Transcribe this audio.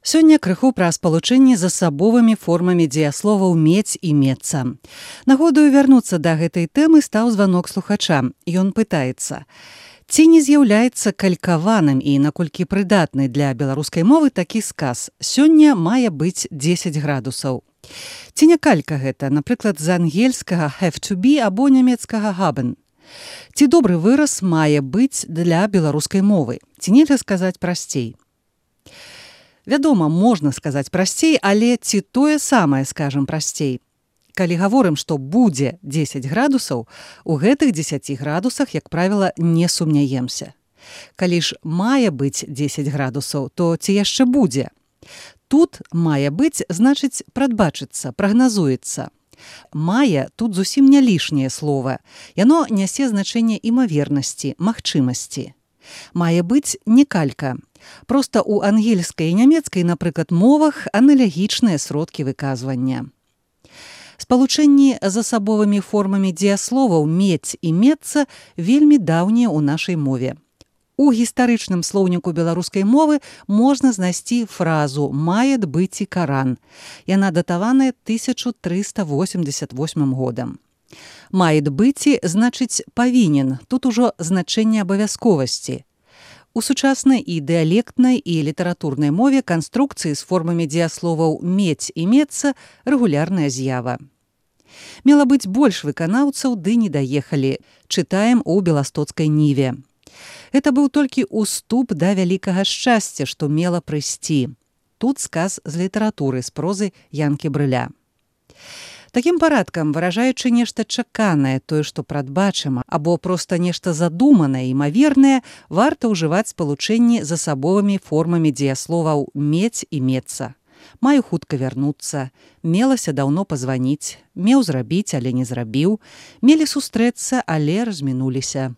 Сёння крыху пра спалучэнне з асабовымі формамі дзеясловаў мець і мецца. Нагодаю вярнуцца да гэтай тэмы стаў званок слухача. Ён пытаецца: ці не з'яўляецца калькаваным і наколькі прыдатны для беларускай мовы такі сказ «Сёння мае быць 10 градусаў». Ці не калька гэта, напрыклад, з ангельскага «have to be» або нямецкага «haben». Ці добры выраз мае быць для беларускай мовы? Ці нельга сказаць прасцей? Вядома, можна сказаць прасцей, але ці тое самае скажам прасцей? Калі гаворым, што будзе 10 градусаў, у гэтых 10 градусах, як правіла, не сумняемся. Калі ж мае быць 10 градусаў, то ці яшчэ будзе? Тут мае быць, значыць, прадбачыцца, прагназуецца. Мае тут зусім не лішняе слова. Яно нясе значэнне імавернасці, магчымасці. Мае быць не калька. Проста ў ангельскай і нямецкай, напрыклад, мовах аналагічныя сродкі выказвання. Спалучэнні з асабовымі формамі дзеясловаў мець і мецца вельмі даўнія ў нашай мове. У гістарычным слоўніку беларускай мовы можна знайсці фразу «мает быць і Каран». Яна датаваная 1388 годам. «Мает быць» значыць «павінен», тут ужо значэнне абавязковасці. У сучаснай і дыялектнай і літаратурнай мове канструкцыі з формамі дзеясловаў «мець» і «мецца» рэгулярная з'ява. Мела быць больш выканаўцаў, ды не даехалі. Чытаем у беластоцкай ніве. Гэта быў толькі ўступ да вялікага шчасця, што мела прыйсці. Тут сказ з літаратуры, з прозы Янкі Брыля. Такім парадкам, выражаючы нешта чаканае, тое, што прадбачыма, або проста нешта задуманае, імавернае, варта ўжываць спалучэнні з асабовымі формамі дзеясловаў «мець» і «мецца». Маю хутка вярнуцца, мелася даўно пазваніць, меў зрабіць, але не зрабіў, мелі сустрэцца, але размінуліся.